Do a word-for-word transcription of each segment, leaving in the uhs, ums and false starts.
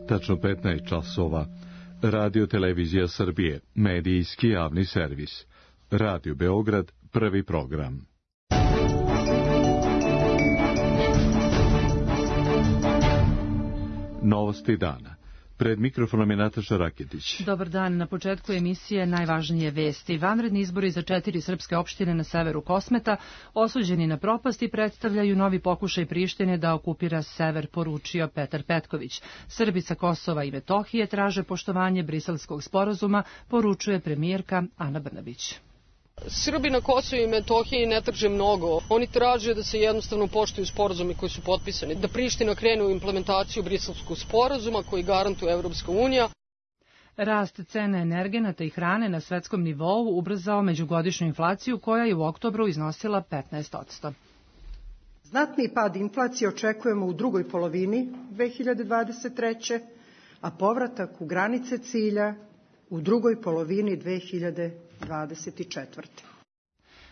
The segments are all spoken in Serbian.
tačno petnaest časova. Radio Televizija Srbije, medijski javni servis. Radio Beograd, prvi program. Novosti dana. Pred mikrofonom je Nataša Raketić. Dobar dan. Na početku emisije najvažnije vesti. Vanredni izbori za četiri srpske opštine na severu Kosmeta, osuđeni na propast i predstavljaju novi pokušaj Prištine da okupira sever, poručio Petar Petković. Srbi sa Kosova i Metohije traže poštovanje Briselskog sporazuma, poručuje premijerka Ana Brnabić. Srbi na Kosovu i Metohiji ne traže mnogo. Oni traže da se jednostavno poštuju sporazumi koji su potpisani, da Priština krene u implementaciju Briselskog sporazuma koji garantuje Evropska unija. Rast cene energenata i hrane na svetskom nivou ubrzao međugodišnju inflaciju koja je u oktobru iznosila petnaest posto. Znatni pad inflacije očekujemo u drugoj polovini dve hiljade dvadeset treće. a povratak u granice cilja u drugoj polovini dve hiljade dvadeset četvrte.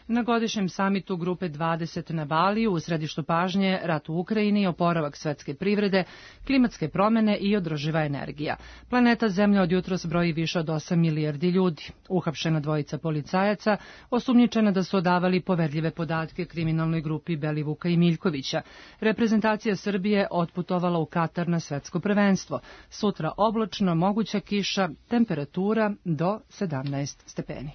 Na godišnjem samitu Grupe dvadeset na Baliju u središtu pažnje rat u Ukrajini, oporavak svetske privrede, klimatske promene i održiva energija. Planeta Zemlja od jutros broji više od osam milijardi ljudi. Uhapšena dvojica policajaca, osumnjičena da su odavali poverljive podatke kriminalnoj grupi Belivuka i Miljkovića. Reprezentacija Srbije otputovala u Katar na svetsko prvenstvo. Sutra oblačno, moguća kiša, temperatura do sedamnaest stepeni.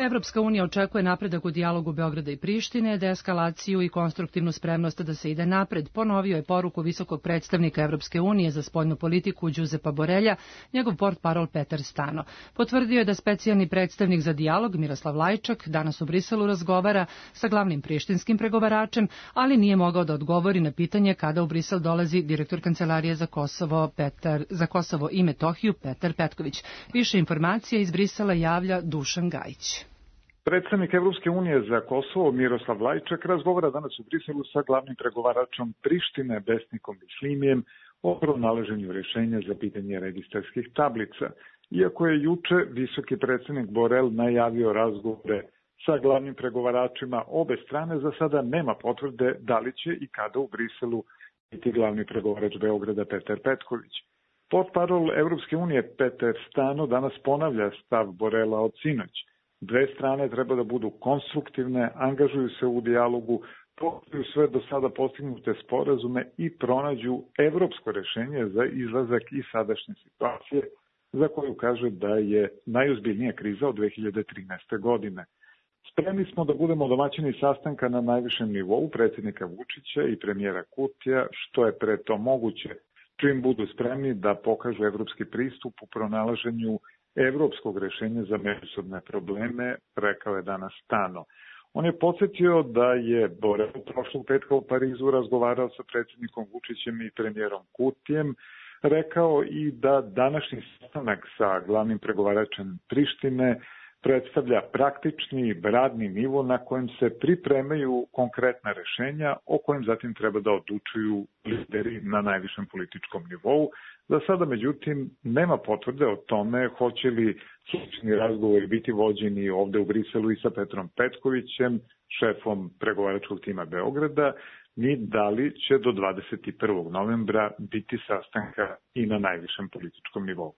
Evropska unija očekuje napredak u dijalogu Beograda i Prištine, deeskalaciju i konstruktivnu spremnost da se ide napred, ponovio je poruku visokog predstavnika Evropske unije za spoljnu politiku Đuzepa Borelja, njegov portparol Petar Stano. Potvrdio je da specijalni predstavnik za dijalog Miroslav Lajčak danas u Briselu razgovara sa glavnim prištinskim pregovaračem, ali nije mogao da odgovori na pitanje kada u Brisel dolazi direktor Kancelarije za Kosovo, Petar, za Kosovo i Metohiju Petar Petković. Više informacija iz Brisela javlja Dušan Gajić. Predstavnik Evropske unije za Kosovo Miroslav Lajčak razgovara danas u Briselu sa glavnim pregovaračom Prištine Besnikom Bislimijem o pronalaženju rješenja za pitanje registarskih tablica. Iako je juče visoki predstavnik Borel najavio razgovore sa glavnim pregovaračima obe strane, za sada nema potvrde da li će i kada u Briselu biti glavni pregovarač Beograda Petar Petković. Portparol Evropske unije Petar Stano danas ponavlja stav Borela od sinoć. Dve strane treba da budu konstruktivne, angažuju se u dijalogu, poštuju sve do sada postignute sporazume i pronađu evropsko rešenje za izlazak iz sadašnje situacije, za koju kaže da je najozbiljnija kriza od dve hiljade trinaeste. godine. Spremni smo da budemo domaćini sastanka na najvišem nivou predsjednika Vučića i premijera Kurtija, što je pre to moguće, čim budu spremni da pokažu evropski pristup u pronalaženju evropskog rešenja za međusobne probleme, rekao je danas Stano. On je podsjetio da je Borel prošlog petka u Parizu razgovarao sa predsjednikom Vučićem i premijerom Kurtijem, rekao i da današnji sastanak sa glavnim pregovaračem Prištine predstavlja praktični radni nivo na kojem se pripremaju konkretna rešenja o kojem zatim treba da odlučuju lideri na najvišem političkom nivou. Za sada, međutim, nema potvrde o tome hoće li slični razgovori biti vođeni ovde u Briselu i sa Petrom Petkovićem, šefom pregovaračkog tima Beograda, ni da li će do dvadeset prvog novembra biti sastanka i na najvišem političkom nivou.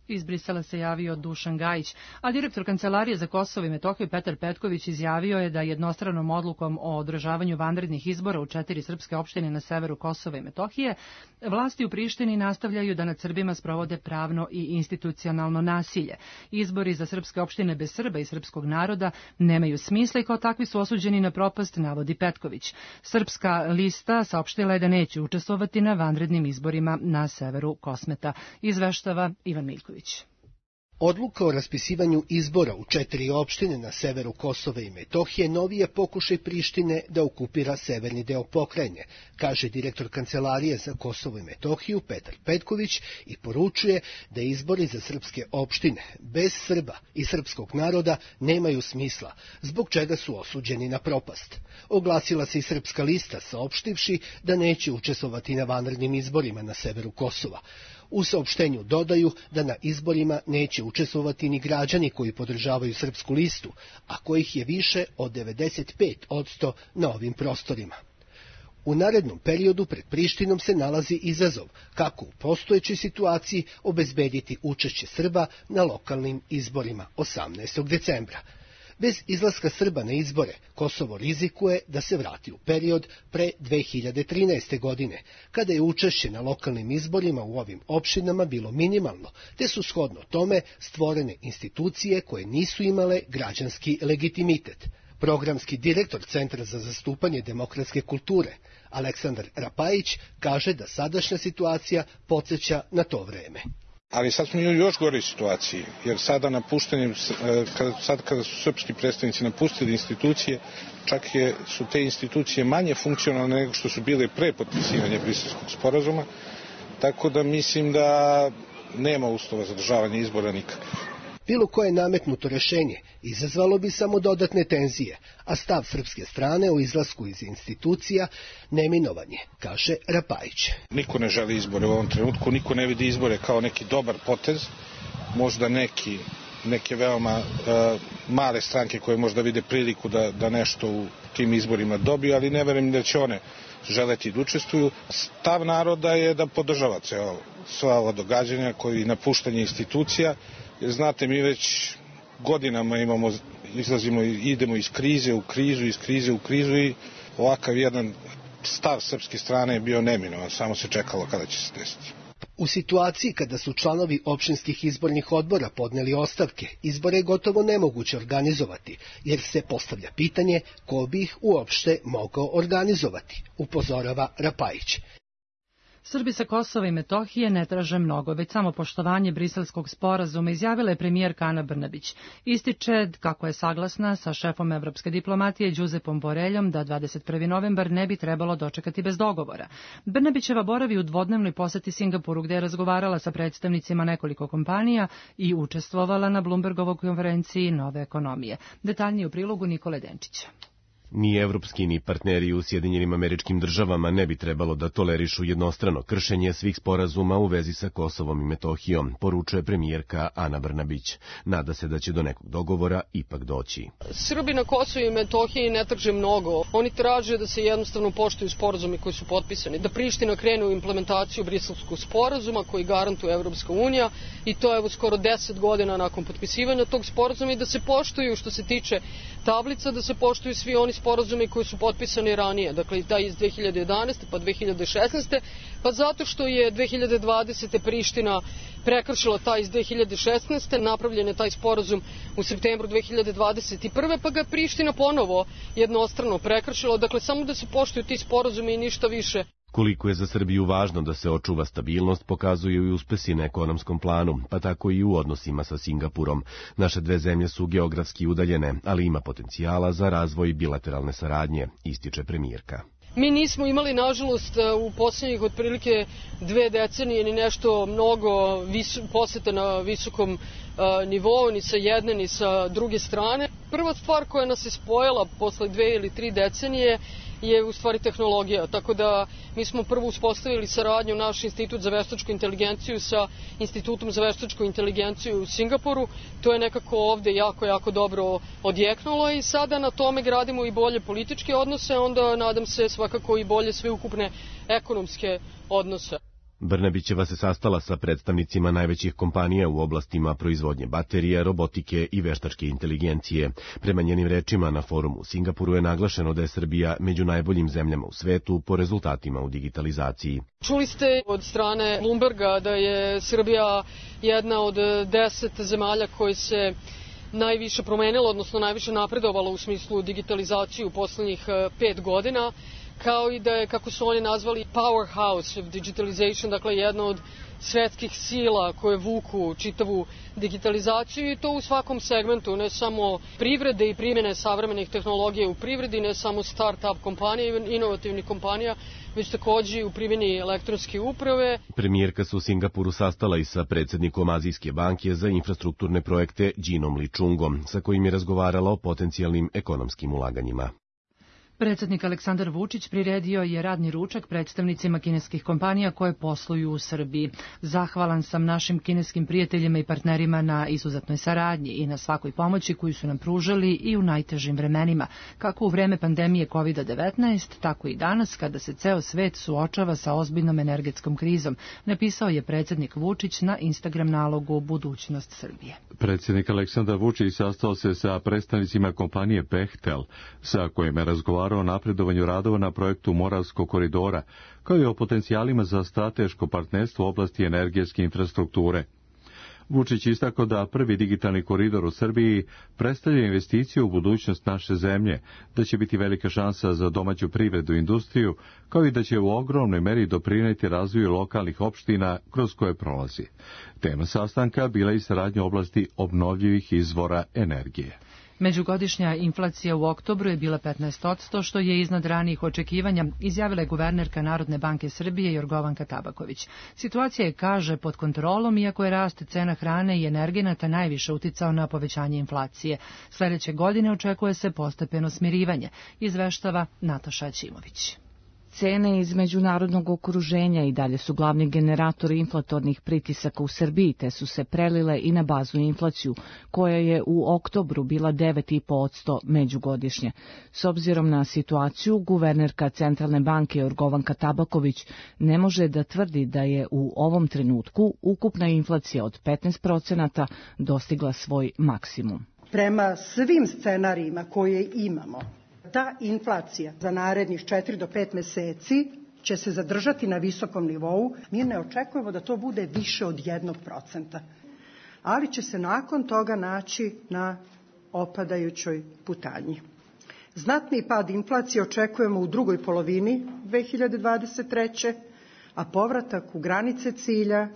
Iz Brisela se javio Dušan Gajić, a direktor Kancelarije za Kosovo i Metohiju Petar Petković izjavio je da jednostranom odlukom o održavanju vanrednih izbora u četiri srpske opštine na severu Kosova i Metohije vlasti u Prištini nastavljaju da nad Srbima sprovode pravno i institucionalno nasilje. Izbori za srpske opštine bez Srba i srpskog naroda nemaju smisla i kao takvi su osuđeni na propast, navodi Petković. Srpska lista saopštila je da neće učestvovati na vanrednim izborima na severu Kosmeta, izveštava Ivan Miljković. Odluka o raspisivanju izbora u četiri opštine na severu Kosova i Metohije novi je pokušaj Prištine da okupira severni deo pokrajine, kaže direktor Kancelarije za Kosovo i Metohiju Petar Petković i poručuje da izbori za srpske opštine bez Srba i srpskog naroda nemaju smisla, zbog čega su osuđeni na propast. Oglasila se i srpska lista, saopštivši da neće učestvovati na vanrednim izborima na severu Kosova. U saopštenju dodaju da na izborima neće učestvovati ni građani koji podržavaju srpsku listu, a kojih je više od devedeset pet posto na ovim prostorima. U narednom periodu pred Prištinom se nalazi izazov kako u postojećoj situaciji obezbediti učešće Srba na lokalnim izborima osamnaestog decembra. Bez izlaska Srba na izbore, Kosovo rizikuje da se vrati u period pre dve hiljade trinaeste. godine, kada je učešće na lokalnim izborima u ovim opštinama bilo minimalno, te su shodno tome stvorene institucije koje nisu imale građanski legitimitet. Programski direktor Centra za zastupanje demokratske kulture, Aleksandar Rapajić, kaže da sadašnja situacija podsjeća na to vreme. Ali sad smo u još goroj situaciji, jer sada napuštanjem, kada, sad kada su srpski predstavnici napustili institucije, čak je, su te institucije manje funkcionalne nego što su bile pre potpisivanja Briselskog sporazuma, tako da mislim da nema uslova za održavanje izbora nikakvih. Bilo koje nametnuto rešenje izazvalo bi samo dodatne tenzije, a stav srpske strane o izlasku iz institucija neminovan je, kaže Rapajić. Niko ne želi izbore u ovom trenutku, niko ne vidi izbore kao neki dobar potez, možda neki, neke veoma uh, male stranke koje možda vide priliku da, da nešto u tim izborima dobiju, ali ne verujem da će one želeti da učestvuju. Stav naroda je da podržava sva ova događanja koji napuštanje institucija. Jer znate, mi već godinama imamo, izlazimo, idemo iz krize u krizu, iz krize u krizu i ovakav jedan stav srpske strane je bio neminovan, samo se čekalo kada će se desiti. U situaciji kada su članovi opštinskih izbornih odbora podneli ostavke, izbore je gotovo nemoguće organizovati, jer se postavlja pitanje ko bi ih uopšte mogao organizovati, upozorava Rapajić. Srbi sa Kosova i Metohije ne traže mnogo, već samo poštovanje Briselskog sporazuma, izjavila je premijerka Ana Brnabić. Ističe kako je saglasna sa šefom evropske diplomatije Đuzepom Boreljom da dvadeset prvi novembar ne bi trebalo dočekati bez dogovora. Brnabićeva boravi u dvodnevnoj poseti Singapuru, gde je razgovarala sa predstavnicima nekoliko kompanija i učestvovala na Bloombergovoj konferenciji Nove ekonomije. Detaljnije u prilogu Nikole Denčića. Ni evropski ni partneri u Sjedinjenim Američkim Državama ne bi trebalo da tolerišu jednostrano kršenje svih sporazuma u vezi sa Kosovom i Metohijom, poručuje premijerka Ana Brnabić. Nada se da će do nekog dogovora ipak doći. Srbi na Kosovu i Metohiji ne traže mnogo. Oni traže da se jednostavno poštuju sporazumi koji su potpisani, da Priština krene u implementaciju Briselskog sporazuma koji garantuje Evropska unija i to evo skoro deset godina nakon potpisivanja tog sporazuma i da se poštuju što se tiče tablica, da se poštuju svi oni sporazumi koji su potpisani ranije, dakle taj iz dve hiljade jedanaeste pa dve hiljade šesnaeste, pa zato što je dve hiljade dvadesete Priština prekršila taj iz dve hiljade šesnaeste, napravljen je taj sporazum u septembru dve hiljade dvadeset prve, pa ga je Priština ponovo jednostrano prekršila, dakle samo da se poštuju ti sporazumi i ništa više. Koliko je za Srbiju važno da se očuva stabilnost, pokazuju i uspesi na ekonomskom planu, pa tako i u odnosima sa Singapurom. Naše dve zemlje su geografski udaljene, ali ima potencijala za razvoj bilateralne saradnje, ističe premijerka. Mi nismo imali, nažalost, u posljednjih otprilike dve decenije ni nešto mnogo vis, poseta na visokom uh, nivou, ni sa jedne, ni sa druge strane. Prva stvar koja nas je spojila posle dve ili tri decenije je u stvari tehnologija, tako da mi smo prvo uspostavili saradnju naš institut za veštačku inteligenciju sa institutom za veštačku inteligenciju u Singapuru. To je nekako ovde jako, jako dobro odjeknulo i sada na tome gradimo i bolje političke odnose, onda nadam se svakako i bolje sveukupne ekonomske odnose. Brnabićeva se sastala sa predstavnicima najvećih kompanija u oblastima proizvodnje baterija, robotike i veštačke inteligencije. Prema njenim rečima na forumu u Singapuru je naglašeno da je Srbija među najboljim zemljama u svetu po rezultatima u digitalizaciji. Čuli ste od strane Bloomberga da je Srbija jedna od deset zemalja koje se najviše promenila, odnosno najviše napredovala u smislu digitalizacije u poslednjih pet godina. Kao i da je, kako su oni nazvali, powerhouse of digitalization, dakle jedna od svetskih sila koje vuku čitavu digitalizaciju i to u svakom segmentu, ne samo privrede i primjene savremenih tehnologija u privredi, ne samo start-up kompanija i inovativnih kompanija, već takođe i u primjeni elektronske uprave. Premijerka se u Singapuru sastala i sa predsjednikom Azijske banke za infrastrukturne projekte Ginom Li Chungom, sa kojim je razgovarala o potencijalnim ekonomskim ulaganjima. Predsjednik Aleksandar Vučić priredio je radni ručak predstavnicima kineskih kompanija koje posluju u Srbiji. Zahvalan sam našim kineskim prijateljima i partnerima na izuzetnoj saradnji i na svakoj pomoći koju su nam pružali i u najtežim vremenima, kako u vreme pandemije kovid devetnaest, tako i danas kada se ceo svet suočava sa ozbiljnom energetskom krizom, napisao je predsjednik Vučić na Instagram nalogu Budućnost Srbije. Predsjednik Aleksandar Vučić sastao se sa predstavnicima kompanije Bechtel, sa kojima je razgovarao o napredovanju radova na projektu Moravskog koridora, kao i o potencijalima za strateško partnerstvo u oblasti energetske infrastrukture. Vučić istakao da prvi digitalni koridor u Srbiji predstavlja investiciju u budućnost naše zemlje, da će biti velika šansa za domaću privredu i industriju, kao i da će u ogromnoj meri doprineti razvoju lokalnih opština kroz koje prolazi. Tema sastanka bila i saradnja u oblasti obnovljivih izvora energije. Međugodišnja inflacija u oktobru je bila petnaest posto, što je iznad ranijih očekivanja, izjavila je guvernerka Narodne banke Srbije Jorgovanka Tabaković. Situacija je, kaže, pod kontrolom, iako je rast cena hrane i energenata najviše uticao na povećanje inflacije. Sljedeće godine očekuje se postepeno smirivanje, izveštava Nataša Ćimović. Cene iz međunarodnog okruženja i dalje su glavni generatori inflatornih pritisaka u Srbiji, te su se prelile i na baznu inflaciju, koja je u oktobru bila devet zarez pet posto međugodišnje. S obzirom na situaciju, guvernerka Centralne banke Jorgovanka Tabaković ne može da tvrdi da je u ovom trenutku ukupna inflacija od petnaest procenata dostigla svoj maksimum. Prema svim scenarijima koje imamo, ta inflacija za narednih četiri do pet meseci će se zadržati na visokom nivou. Mi ne očekujemo da to bude više od jednog procenta, ali će se nakon toga naći na opadajućoj putanji. Znatni pad inflacije očekujemo u drugoj polovini dve hiljade dvadeset treće. a povratak u granice cilja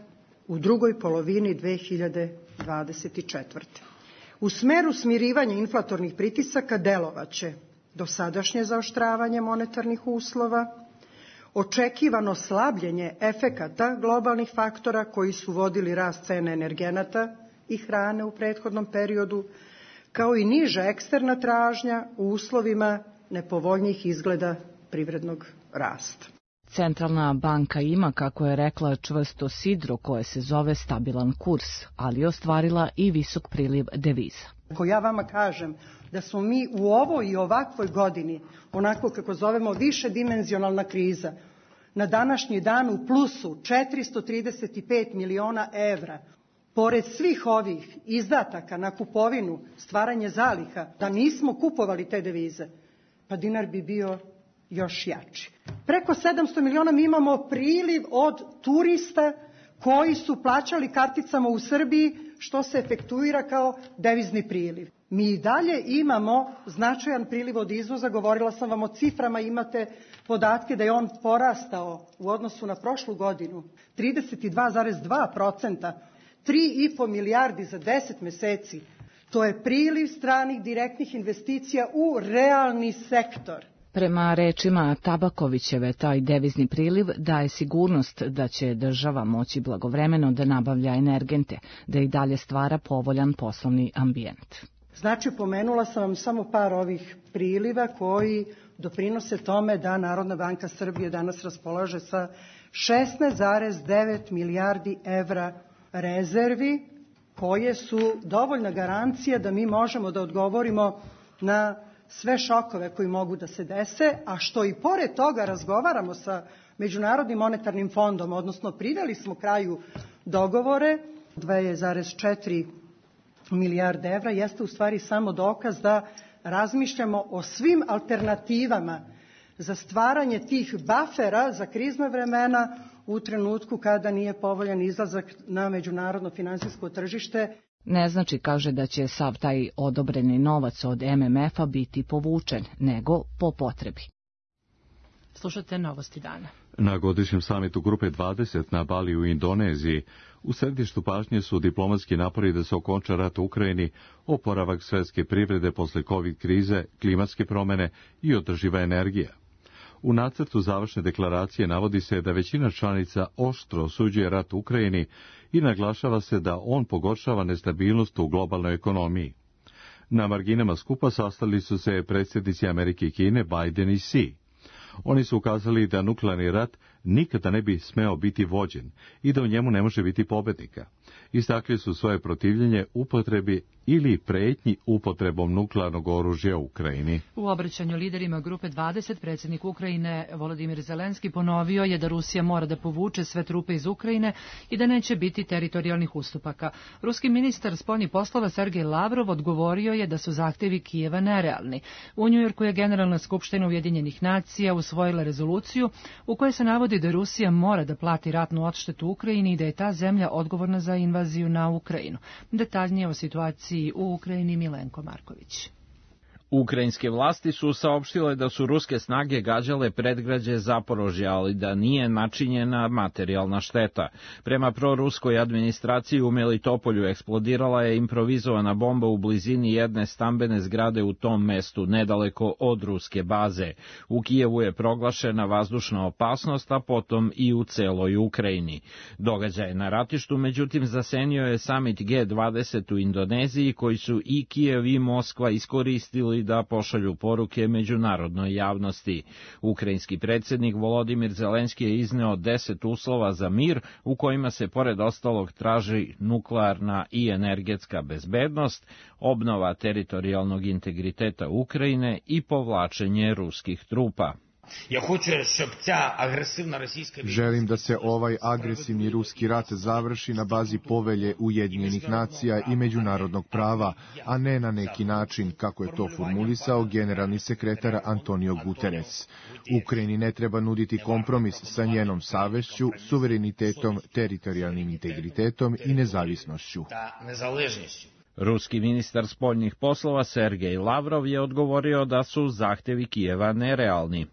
u drugoj polovini dve hiljade dvadeset četvrte. U smeru smirivanja inflatornih pritisaka delovaće dosadašnje zaoštravanje monetarnih uslova, očekivano slabljenje efekata globalnih faktora koji su vodili rast cene energenata i hrane u prethodnom periodu, kao i niža eksterna tražnja u uslovima nepovoljnijih izgleda privrednog rasta. Centralna banka ima, kako je rekla, čvrsto sidro koje se zove stabilan kurs, ali je ostvarila i visok priliv deviza. Ako ja vama kažem da smo mi u ovoj i ovakvoj godini, onako kako zovemo višedimenzionalna kriza, na današnji dan u plusu četiristo trideset pet miliona evra, pored svih ovih izdataka na kupovinu, stvaranje zaliha, da nismo kupovali te devize, pa dinar bi bio još jači. Preko sedamsto miliona mi imamo priliv od turista koji su plaćali karticama u Srbiji, što se efektuira kao devizni priliv. Mi i dalje imamo značajan priliv od izvoza, govorila sam vam o ciframa, imate podatke da je on porastao u odnosu na prošlu godinu trideset dva zarez dva procenta, tri i po milijardi za deset meseci. To je priliv stranih direktnih investicija u realni sektor. Prema rečima Tabakovićeve, taj devizni priliv daje sigurnost da će država moći blagovremeno da nabavlja energente, da i dalje stvara povoljan poslovni ambijent. Znači, pomenula sam vam samo par ovih priliva koji doprinose tome da Narodna banka Srbije danas raspolaže sa šesnaest zarez devet milijardi evra rezervi, koje su dovoljna garancija da mi možemo da odgovorimo na sve šokove koji mogu da se dese, a što i pored toga razgovaramo sa Međunarodnim monetarnim fondom, odnosno priveli smo kraju dogovore, dva zarez četiri milijarde evra, jeste u stvari samo dokaz da razmišljamo o svim alternativama za stvaranje tih bafera za krizna vremena u trenutku kada nije povoljan izlazak na međunarodno finansijsko tržište. Ne znači, kaže, da će sav taj odobreni novac od M M F-a biti povučen, nego po potrebi. Slušate novosti dana. Na godišnjem samitu Grupe dvadeset na Bali u Indoneziji u središtu pažnje su diplomatski napori da se okonča rat u Ukrajini, oporavak svetske privrede posle COVID krize, klimatske promene i održiva energija. U nacrtu završne deklaracije navodi se da većina članica oštro osuđuje rat u Ukrajini i naglašava se da on pogoršava nestabilnost u globalnoj ekonomiji. Na marginama skupa sastali su se predsjednici Amerike i Kine Biden i Xi. Oni su ukazali da nuklearni rat nikada ne bi smeo biti vođen i da u njemu ne može biti pobednika. Istakli su svoje protivljenje upotrebi ili pretnji upotrebom nuklearnog oružja u Ukrajini. U obraćanju liderima Grupe dvadeset predsjednik Ukrajine Volodimir Zelenski ponovio je da Rusija mora da povuče sve trupe iz Ukrajine i da neće biti teritorijalnih ustupaka. Ruski ministar spoljnih poslova Sergej Lavrov odgovorio je da su zahtevi Kijeva nerealni. U Njujorku je Generalna skupština Ujedinjenih nacija usvojila rezoluciju u kojoj se navodi da Rusija mora da plati ratnu odštetu Ukrajini i da je ta zemlja odgovorna za invaziju na Ukrajinu. Detaljnije o situaciji u Ukrajini Milenko Marković. Ukrajinske vlasti su saopštile da su ruske snage gađale predgrađe Zaporožja, ali da nije načinjena materijalna šteta. Prema proruskoj administraciji u Melitopolju eksplodirala je improvizovana bomba u blizini jedne stambene zgrade u tom mestu, nedaleko od ruske baze. U Kijevu je proglašena vazdušna opasnost, a potom i u celoj Ukrajini. Događaj na ratištu, međutim, zasenio je samit G dvadeset u Indoneziji, koji su i Kijev i Moskva iskoristili da pošalju poruke međunarodnoj javnosti. Ukrajinski predsjednik Volodimir Zelenski je izneo deset uslova za mir, u kojima se pored ostalog traži nuklearna i energetska bezbednost, obnova teritorijalnog integriteta Ukrajine i povlačenje ruskih trupa. Želim da se ovaj agresivni ruski rat završi na bazi povelje Ujedinjenih nacija i međunarodnog prava, a ne na neki način kako je to formulisao generalni sekretar Antonio Guterres. Ukrajini ne treba nuditi kompromis sa njenom savešću, suverenitetom, teritorijalnim integritetom i nezavisnošću. Ruski ministar spoljnih poslova Sergej Lavrov je odgovorio da su zahtevi Kijeva nerealni.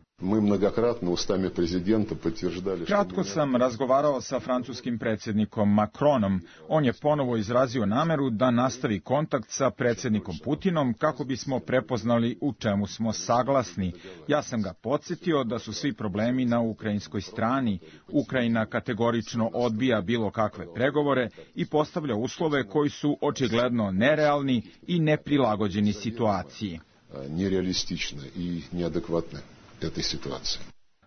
Kratko sam razgovarao sa francuskim predsjednikom Macronom. On je ponovo izrazio nameru da nastavi kontakt sa predsjednikom Putinom kako bismo prepoznali u čemu smo saglasni. Ja sam ga podsjetio da su svi problemi na ukrajinskoj strani. Ukrajina kategorično odbija bilo kakve pregovore i postavlja uslove koji su očigledno nerealni i neprilagođeni situaciji. Nerealistične i neadekvatne te situacije.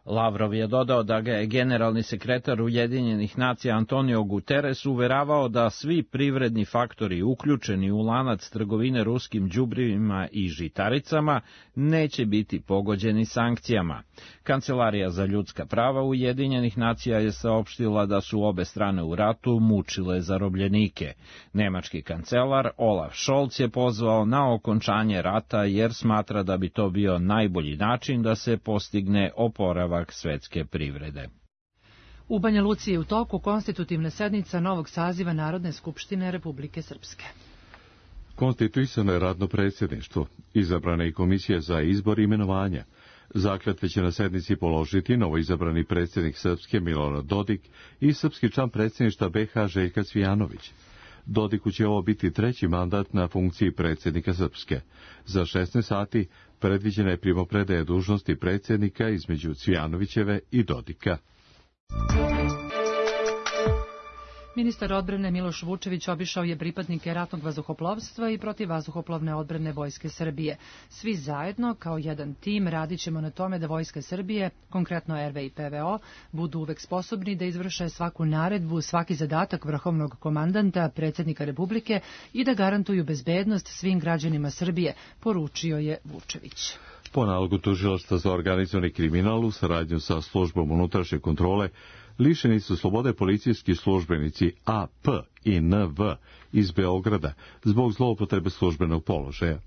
Lavrov je dodao da ga je generalni sekretar Ujedinjenih nacija Antonio Guterres uveravao da svi privredni faktori uključeni u lanac trgovine ruskim đubrivima i žitaricama neće biti pogođeni sankcijama. Kancelarija za ljudska prava Ujedinjenih nacija je saopštila da su obe strane u ratu mučile zarobljenike. Nemački kancelar Olaf Scholz je pozvao na okončanje rata jer smatra da bi to bio najbolji način da se postigne oporavak svetske privrede. U Banja Luci je u toku konstitutivna sednica novog saziva Narodne skupštine Republike Srpske. Konstituisano je radno predsjedništvo, izabrana i komisija za izbor i imenovanja. Zakletve će na sednici položiti novoizabrani predsjednik Srpske Milorad Dodik i srpski član predsjedništva B H Željka Cvijanović. Dodiku će ovo biti treći mandat na funkciji predsjednika Srpske. Za šesnaest sati predviđena je primopredaja dužnosti predsjednika između Cvijanovićeve i Dodika. Ministar odbrane Miloš Vučević obišao je pripadnike ratnog vazduhoplovstva i protivvazduhoplovne odbrane Vojske Srbije. Svi zajedno, kao jedan tim, radit ćemo na tome da Vojska Srbije, konkretno R V i P V O, budu uvek sposobni da izvrše svaku naredbu, svaki zadatak vrhovnog komandanta, predsjednika Republike i da garantuju bezbednost svim građanima Srbije, poručio je Vučević. Po nalogu tužilaštva za organizovani kriminal u saradnju sa službom unutrašnje kontrole lišeni su slobode policijski službenici A P i N V iz Beograda zbog zloupotrebe službenog položaja.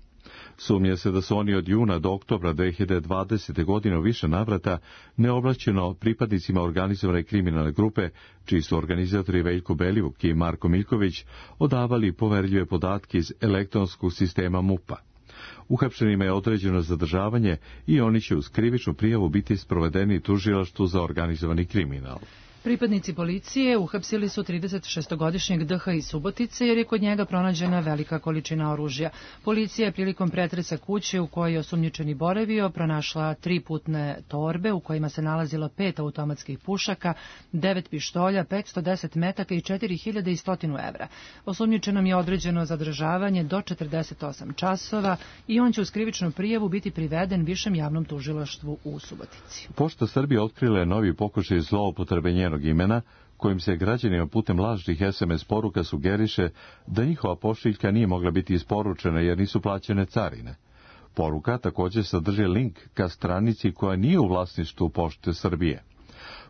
Sumnja se da su oni od juna do oktobra dve hiljade dvadesete. godine u više navrata neoblašćeno pripadnicima organizovane kriminalne grupe, čiji su organizatori Veljko Belivuk i Marko Miljković, odavali poverljive podatke iz elektronskog sistema M U P-a. Uhapšenima je određeno zadržavanje i oni će uz krivičnu prijavu biti sprovedeni tužilaštvu za organizovani kriminal. Pripadnici policije uhapsili su tridesetšestogodišnjeg D H iz Subotice jer je kod njega pronađena velika količina oružja. Policija je prilikom pretresa kuće u kojoj je osumnjičeni boravio pronašla tri putne torbe u kojima se nalazilo pet automatskih pušaka, devet pištolja, petsto deset metaka i četiri hiljade sto evra. Osumnjičenom je određeno zadržavanje do četrdeset osam časova i on će uz krivičnu prijavu biti priveden Višem javnom tužilaštvu u Subotici. Pošta Srbije otkrila je novi pokušaj zloupotrebe njenog imena, kojim se građanima putem lažnih es em es poruka sugeriše da njihova pošiljka nije mogla biti isporučena jer nisu plaćene carine. Poruka također sadrži link ka stranici koja nije u vlasništvu Pošte Srbije.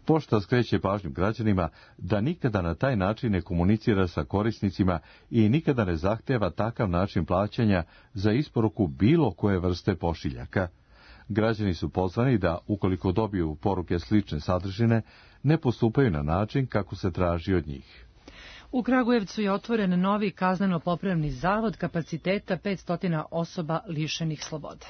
Pošta skreće pažnju građanima da nikada na taj način ne komunicira sa korisnicima i nikada ne zahteva takav način plaćanja za isporuku bilo koje vrste pošiljaka. Građani su pozvani da, ukoliko dobiju poruke slične sadržine, ne postupaju na način kako se traži od njih. U Kragujevcu je otvoren novi kazneno-popravni zavod kapaciteta petsto osoba lišenih slobode.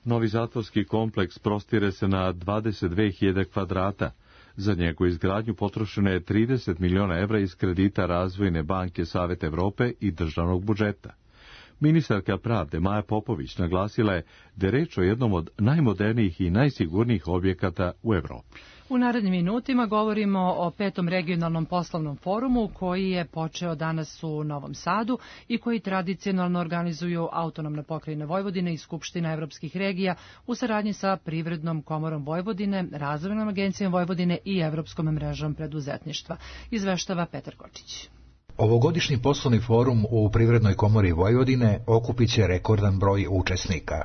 Novi zatvorski kompleks prostire se na dvadeset dve hiljade kvadrata. Za njegovu izgradnju potrošeno je trideset miliona evra iz kredita Razvojne banke Saveta Evrope i državnog budžeta. Ministarka pravde Maja Popović naglasila je da je reč o jednom od najmodernijih i najsigurnijih objekata u Evropi. U narednim minutima govorimo o petom regionalnom poslovnom forumu koji je počeo danas u Novom Sadu i koji tradicionalno organizuju Autonomna pokrajina Vojvodine i Skupština evropskih regija u saradnji sa Privrednom komorom Vojvodine, Razvojnom agencijom Vojvodine i Evropskom mrežom preduzetništva. Izveštava Petar Kočić. Ovogodišnji poslovni forum u Privrednoj komori Vojvodine okupit će rekordan broj učesnika.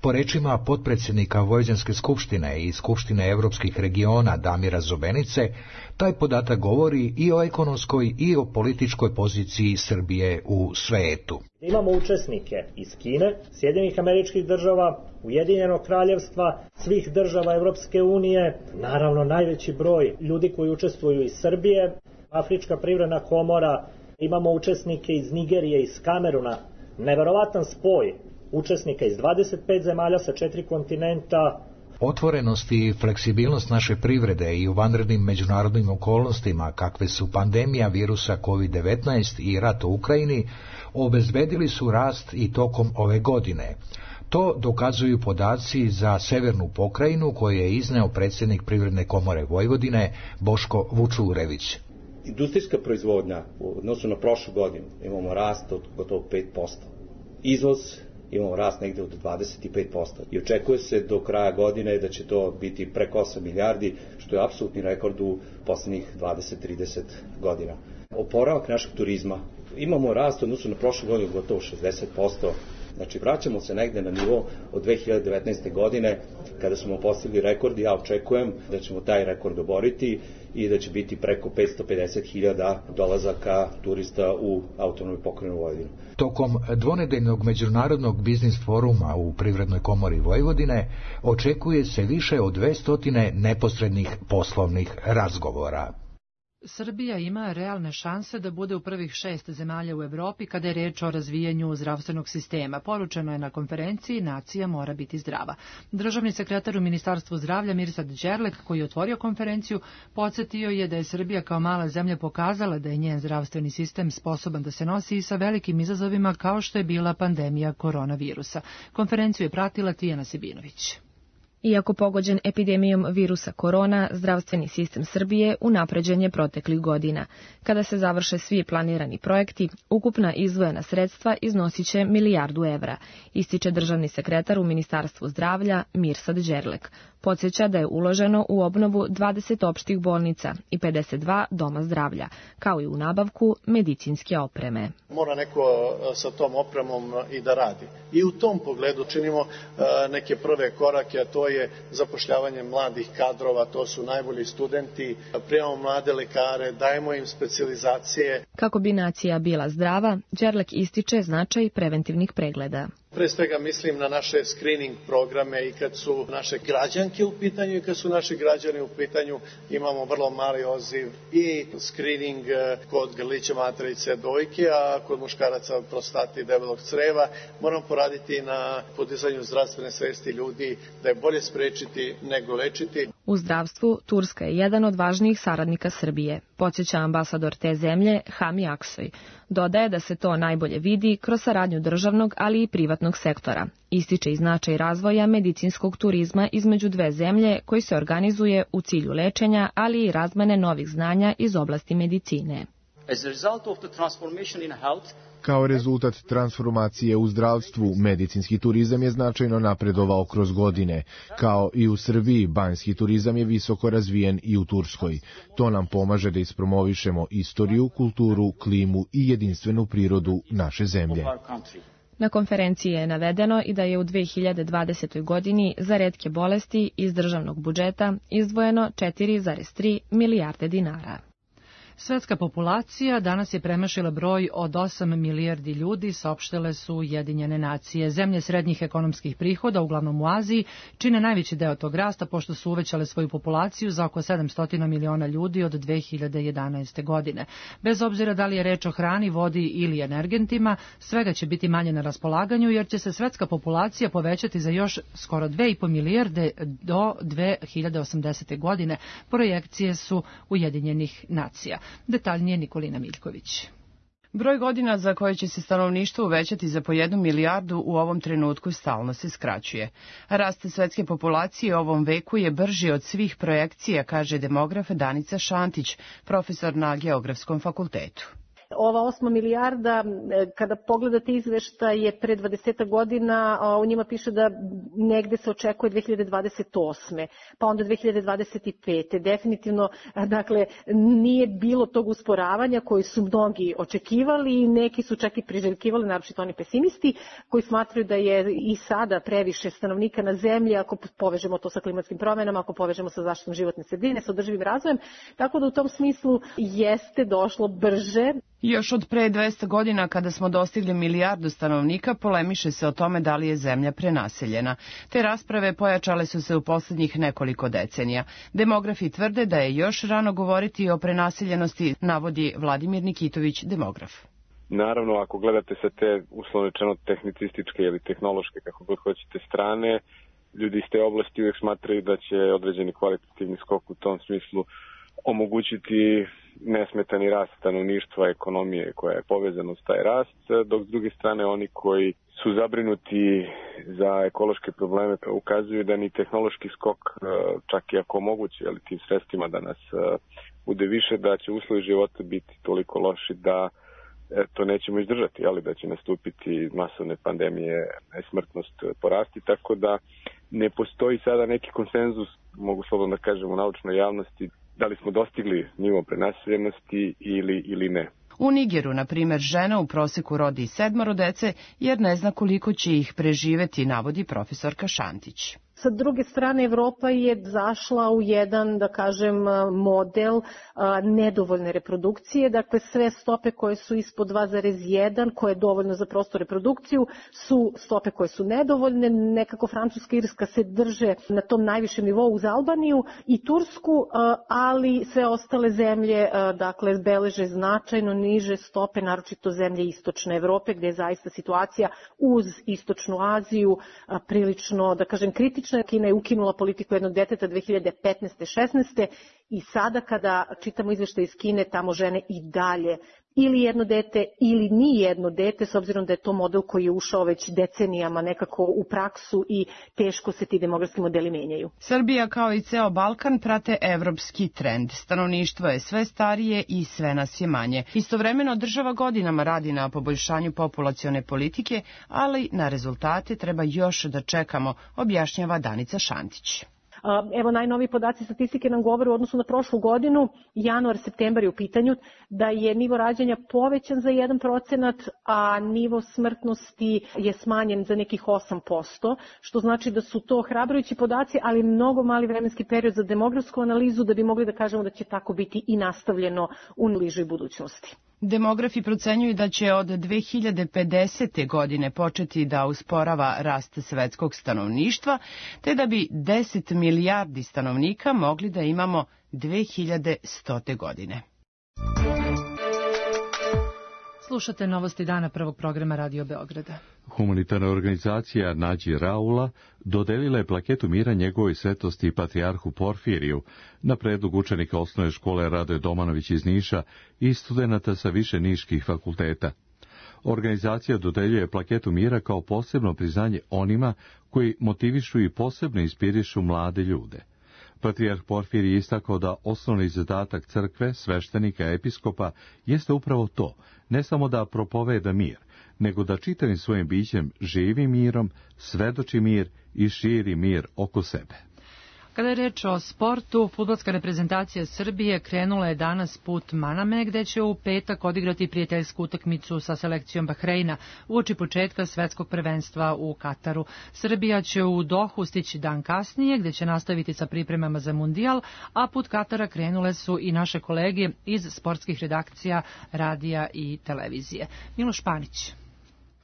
Po rečima potpredsjednika Vojvođanske skupštine i Skupštine evropskih regiona Damira Zobenice, taj podatak govori i o ekonomskoj i o političkoj poziciji Srbije u svetu. Imamo učesnike iz Kine, Sjedinjenih Američkih Država, Ujedinjenog Kraljevstva, svih država Evropske unije, naravno najveći broj ljudi koji učestvuju iz Srbije, Afrička privredna komora, imamo učesnike iz Nigerije, iz Kameruna, neverovatan spoj učesnika iz dvadeset pet zemalja sa četiri kontinenta. Otvorenost i fleksibilnost naše privrede i u vanrednim međunarodnim okolnostima, kakve su pandemija virusa kovid devetnaest i rat u Ukrajini, obezbedili su rast i tokom ove godine. To dokazuju podaci za Severnu pokrajinu koje je izneo predsjednik Privredne komore Vojvodine Boško Vučurević. Industrijska proizvodnja u odnosu na prošlu godinu imamo rast od gotovo pet posto. Izvoz imamo rast negde od dvadeset pet posto i očekuje se do kraja godine da će to biti preko osam milijardi, što je apsolutni rekord u poslednjih dvadeset do trideset godina. Oporavak našeg turizma, imamo rast u odnosu na prošlu godinu gotovo šezdeset posto. Znači, vraćamo se negde na nivo od dve hiljade devetnaeste. godine, kada smo postigli rekord i ja očekujem da ćemo taj rekord oboriti i da će biti preko petsto pedeset hiljada dolazaka turista u Autonomnoj pokrajini Vojvodine. Tokom dvonedeljnog međunarodnog biznis foruma u Privrednoj komori Vojvodine očekuje se više od dvesta neposrednih poslovnih razgovora. Srbija ima realne šanse da bude u prvih šest zemalja u Evropi kada je reč o razvijanju zdravstvenog sistema. Poručeno je na konferenciji Nacija mora biti zdrava. Državni sekretar u Ministarstvu zdravlja Mirsad Đerlek, koji je otvorio konferenciju, podsjetio je da je Srbija kao mala zemlja pokazala da je njen zdravstveni sistem sposoban da se nosi i sa velikim izazovima kao što je bila pandemija koronavirusa. Konferenciju je pratila Tijana Sibinović. Iako pogođen epidemijom virusa korona, zdravstveni sistem Srbije unapređen je proteklih godina. Kada se završe svi planirani projekti, ukupna izdvojena sredstva iznosiće milijardu evra, ističe državni sekretar u Ministarstvu zdravlja Mirsad Đerlek. Podsjeća da je uloženo u obnovu dvadeset opštih bolnica i pedeset dva doma zdravlja, kao i u nabavku medicinske opreme. Mora neko sa tom opremom i da radi. I u tom pogledu činimo neke prve korake, a to je zapošljavanje mladih kadrova, to su najbolji studenti, prijemamo mlade lekare, dajemo im specijalizacije. Kako bi nacija bila zdrava, Đerlek ističe značaj preventivnih pregleda. Pre svega mislim na naše screening programe i kad su naše građanke u pitanju i kad su naši građani u pitanju imamo vrlo mali odziv i screening kod grlića materice dojke, a kod muškaraca prostate i debelog creva. Moramo poraditi na podizanju zdravstvene svesti ljudi da je bolje sprečiti nego lečiti. U zdravstvu Turska je jedan od važnijih saradnika Srbije, podsjeća ambasador te zemlje Hami Aksoy. Dodaje da se to najbolje vidi kroz saradnju državnog, ali i privatnog sektora. Ističe i značaj razvoja medicinskog turizma između dve zemlje koji se organizuje u cilju lečenja, ali i razmene novih znanja iz oblasti medicine. Kao rezultat transformacije u zdravstvu, medicinski turizam je značajno napredovao kroz godine. Kao i u Srbiji, banjski turizam je visoko razvijen i u Turskoj. To nam pomaže da ispromovišemo istoriju, kulturu, klimu i jedinstvenu prirodu naše zemlje. Na konferenciji je navedeno i da je u dve hiljade dvadesetoj. godini za retke bolesti iz državnog budžeta izdvojeno četiri zarez tri milijarde dinara. Svetska populacija danas je premašila broj od osam milijardi ljudi, saopštile su Ujedinjene nacije. Zemlje srednjih ekonomskih prihoda, uglavnom u Aziji, čine najveći deo tog rasta pošto su uvećale svoju populaciju za oko sedamsto miliona ljudi od dve hiljade jedanaeste. godine. Bez obzira da li je reč o hrani, vodi ili energentima, svega će biti manje na raspolaganju jer će se svetska populacija povećati za još skoro dve i po milijarde do dve hiljade osamdesete. godine. Projekcije su Ujedinjenih nacija. Detaljnije Nikolina Miljković. Broj godina za koje će se stanovništvo uvećati za po jednu milijardu u ovom trenutku stalno se skraćuje. Rast svetske populacije u ovom veku je brži od svih projekcija, kaže demograf Danica Šantić, profesor na Geografskom fakultetu. Ova osma milijarda, kada pogledate izveštaje pre dvadeset godina, u njima piše da negde se očekuje dve hiljade dvadeset osme. pa onda dve hiljade dvadeset pete. Definitivno, dakle, nije bilo tog usporavanja koji su mnogi očekivali i neki su čak i priželjkivali, naročito oni pesimisti, koji smatraju da je i sada previše stanovnika na zemlji, ako povežemo to sa klimatskim promenama, ako povežemo sa zaštitom životne sredine, sa održivim razvojem. Tako da u tom smislu jeste došlo brže. Još od pre dvesta godina, kada smo dostigli milijardu stanovnika, polemiše se o tome da li je zemlja prenaseljena. Te rasprave pojačale su se u poslednjih nekoliko decenija. Demografi tvrde da je još rano govoriti o prenaseljenosti, navodi Vladimir Nikitović, demograf. Naravno, ako gledate sa te uslovno rečeno tehnicističke ili tehnološke, kako god hoćete, strane, ljudi iz te oblasti uvijek smatraju da će određeni kvalitativni skok u tom smislu omogućiti nesmetani rast stanovništva, ekonomije koja je povezana uz taj rast, dok s druge strane oni koji su zabrinuti za ekološke probleme ukazuju da ni tehnološki skok, čak i ako moguće, ali tim sredstvima da nas bude više, da će uslovi života biti toliko loši da to nećemo izdržati, ali da će nastupiti masovne pandemije, smrtnost porasti, tako da ne postoji sada neki konsenzus, mogu slobodno da kažem, u naučnoj javnosti, da li smo dostigli nivo prenaseljenosti ili, ili ne. U Nigeru, na primjer, žena u proseku rodi sedmoro dece jer ne zna koliko će ih preživeti, navodi profesorka Šantić. Sa druge strane, Evropa je zašla u jedan, da kažem, model a, nedovoljne reprodukcije. Dakle, sve stope koje su ispod dva zarez jedan, koje je dovoljno za prostu reprodukciju, su stope koje su nedovoljne. Nekako Francuska i Irska se drže na tom najvišem nivou uz Albaniju i Tursku, a, ali sve ostale zemlje, a, dakle, beleže značajno niže stope, naročito zemlje istočne Evrope, gdje je zaista situacija uz istočnu Aziju a, prilično, da kažem, kritična. Kina je ukinula politiku jednog deteta dve hiljade petnaeste šesnaeste i sada kada čitamo izveštaj iz Kine, tamo žene i dalje ili jedno dete ili ni jedno dete, s obzirom da je to model koji je ušao već decenijama nekako u praksu i teško se ti demografski modeli menjaju. Srbija kao i ceo Balkan prate evropski trend. Stanovništvo je sve starije i sve nas je manje. Istovremeno država godinama radi na poboljšanju populacione politike, ali na rezultate treba još da čekamo, objašnjava Danica Šantić. Evo, najnoviji podaci statistike nam govore u odnosu na prošlu godinu, januar, septembar je u pitanju, da je nivo rađanja povećan za jedan procenat, a nivo smrtnosti je smanjen za nekih osam posto, što znači da su to hrabrujući podaci, ali mnogo mali vremenski period za demografsku analizu da bi mogli da kažemo da će tako biti i nastavljeno u bližoj budućnosti. Demografi procenjuju da će od dve hiljade pedesete. godine početi da usporava rast svetskog stanovništva, te da bi deset milijardi stanovnika mogli da imamo dve hiljade stote. godine. Slušate novosti dana prvog programa Radio Beograda. Humanitarna organizacija Nađi Raula dodelila je plaketu mira njegovoj svetosti patrijarhu Porfiriju na predlog učenika osnovne škole Radoje Domanović iz Niša i studenata sa više niških fakulteta. Organizacija dodeljuje plaketu mira kao posebno priznanje onima koji motivišu i posebno inspirišu mlade ljude. Patrijarh Porfirij je istakao da osnovni zadatak crkve, sveštenika, episkopa jeste upravo to, ne samo da propoveda mir, nego da čitavim svojim bićem živi mirom, svedoči mir i širi mir oko sebe. Kada je reč o sportu, fudbalska reprezentacija Srbije krenula je danas put Maname, gde će u petak odigrati prijateljsku utakmicu sa selekcijom Bahreina uoči početka svetskog prvenstva u Kataru. Srbija će u Dohu stići dan kasnije, gde će nastaviti sa pripremama za mundijal, a put Katara krenule su i naše kolege iz sportskih redakcija, radija i televizije. Miloš Panić.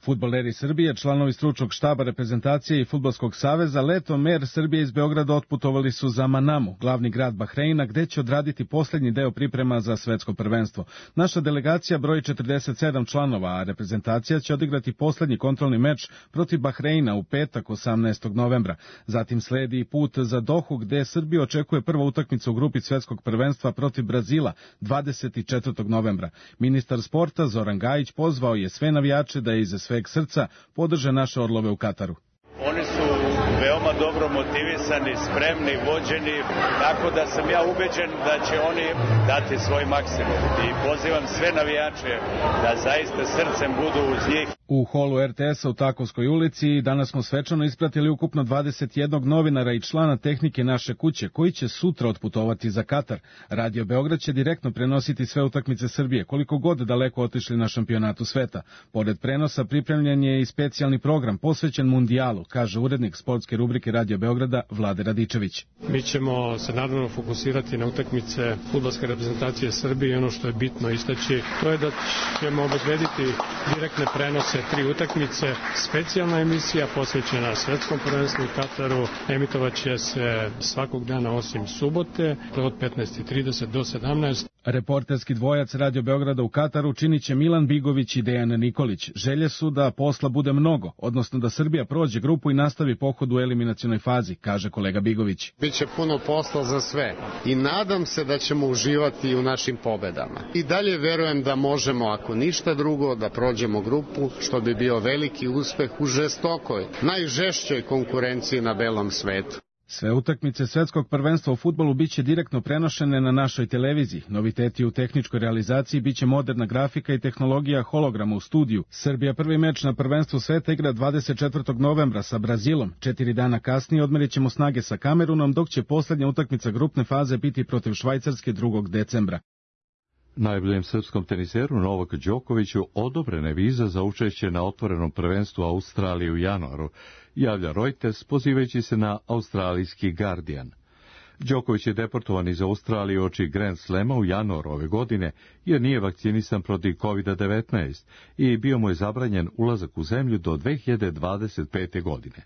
Fudbaleri Srbije, članovi stručnog štaba reprezentacije i Fudbalskog saveza, letom mer Srbije iz Beograda otputovali su za Manamu, glavni grad Bahreina, gde će odraditi posljednji deo priprema za svetsko prvenstvo. Naša delegacija broji četrdeset sedam članova, a reprezentacija će odigrati posljednji kontrolni meč protiv Bahreina u petak osamnaestog novembra. Zatim sledi put za Dohu, gde Srbija očekuje prva utakmica u grupi svetskog prvenstva protiv Brazila dvadeset četvrtog novembra. Ministar sporta Zoran Gajić pozvao je sve navijače da iz sveg srca podrže naše orlove u Kataru. Oni su veoma dobro motivisani, spremni, vođeni, tako da sam ja ubeđen da će oni dati svoj maksimum. I pozivam sve navijače da zaista srcem budu uz njih. U holu er te esa u Takovskoj ulici danas smo svečano ispratili ukupno dvadeset jednog novinara i člana tehnike naše kuće, koji će sutra otputovati za Katar. Radio Beograd će direktno prenositi sve utakmice Srbije, koliko god daleko otišli na šampionatu sveta. Pored prenosa pripremljen je i specijalni program posvećen mundijalu, kaže urednik sportske rubrike Radio Beograda Vlade Radičević. Mi ćemo se naravno fokusirati na utakmice fudbalske reprezentacije Srbije i ono što je bitno istaći, to je da ćemo obezbediti direktne prenose tri utakmice, specijalna emisija posvećena svetskom prvenstvu u Kataru, emitovat će se svakog dana osim subote, od petnaest i trideset do sedamnaest. Reporterski dvojac Radio Beograda u Kataru činit će Milan Bigović i Dejan Nikolić. Želje su da posla bude mnogo, odnosno da Srbija prođe grupu i nastavi pohod u eliminacionoj fazi, kaže kolega Bigović. Biće puno posla za sve i nadam se da ćemo uživati u našim pobedama. I dalje verujem da možemo, ako ništa drugo, da prođemo grupu, što bi bio veliki uspeh u žestokoj, najžešćoj konkurenciji na belom svetu. Sve utakmice svetskog prvenstva u fudbalu biće direktno prenošene na našoj televiziji. Noviteti u tehničkoj realizaciji biće moderna grafika i tehnologija holograma u studiju. Srbija prvi meč na prvenstvu sveta igra dvadeset četvrtog novembra sa Brazilom. Četiri dana kasnije odmerit ćemo snage sa Kamerunom, dok će posljednja utakmica grupne faze biti protiv Švajcarske drugog decembra. Najboljem srpskom teniseru Novaku Đokoviću odobrena je viza za učešće na otvorenom prvenstvu Australije u januaru, javlja Reuters pozivajući se na australijski Guardian. Đoković je deportovan iz Australije oči Grand Slema u januaru ove godine jer nije vakcinisan protiv kovid devetnaest i bio mu je zabranjen ulazak u zemlju do dve hiljade dvadeset pete. godine.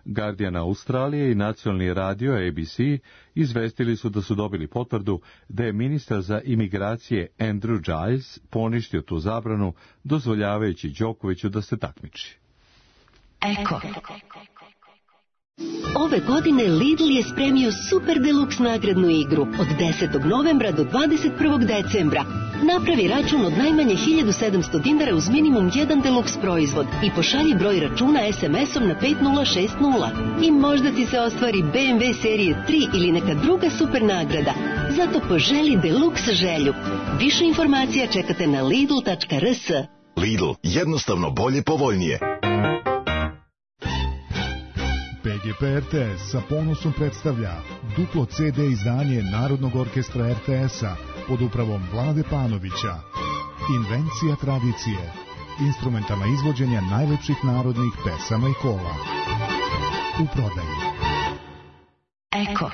Guardian Australije i nacionalni radio A B C izvestili su da su dobili potvrdu da je ministar za imigracije Andrew Giles poništio tu zabranu, dozvoljavajući Đokoviću da se takmiči. Eko. Ove godine Lidl je spremio super deluks nagradnu igru od desetog novembra do dvadeset prvog decembra. Napravi račun od najmanje hiljadu sedamsto dinara uz minimum jedan deluks proizvod i pošalji broj računa es em esom na pet nula šest nula. I možda ti se ostvari be em ve serije tri ili neka druga super nagrada. Zato poželi deluks želju. Više informacija čekate na lidl tačka er s. Lidl, jednostavno bolje, povoljnije. P G P R T S sa ponosom predstavlja duplo ce de izdanje Narodnog orkestra er te esa pod upravom Vlade Panovića. Invencija tradicije. Instrumentalna izvođenja najlepših narodnih pesama i kola. U prodaju. Eko.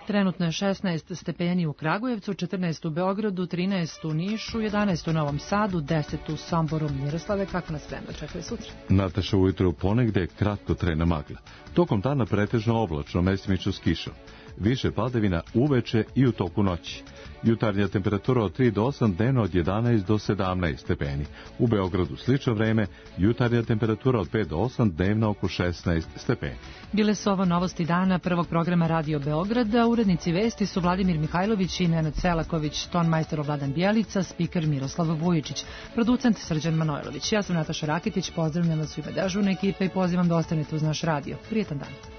Trenutno je šesnaest stepeni u Kragujevcu, četrnaest u Beogradu, trinaest u Nišu, jedanaest u Novom Sadu, deset u Somboru. Miroslave, kako nas vreme očekuje sutra? Nataša, ujutro ponegde kratko trena magla. Tokom dana pretežno oblačno, mestimično s kišom. Više padavina uveče i u toku noći. Jutarnja temperatura od tri do osam, dnevno od jedanaest do sedamnaest stepeni. U Beogradu slično vreme, jutarnja temperatura od pet do osam, dnevno oko šesnaest stepeni. Bile su ovo novosti dana prvog programa Radio Beograda. Urednici vesti su Vladimir Mihajlović i Nenad Selaković, tonmajster Vladan Bjelica, spiker Miroslav Vujičić, producent Srđan Manojlović. Ja sam Nataša Rakitić, pozdravljam vas u ime dežurne ekipe i pozivam da ostanete uz naš radio. Prijetan dan.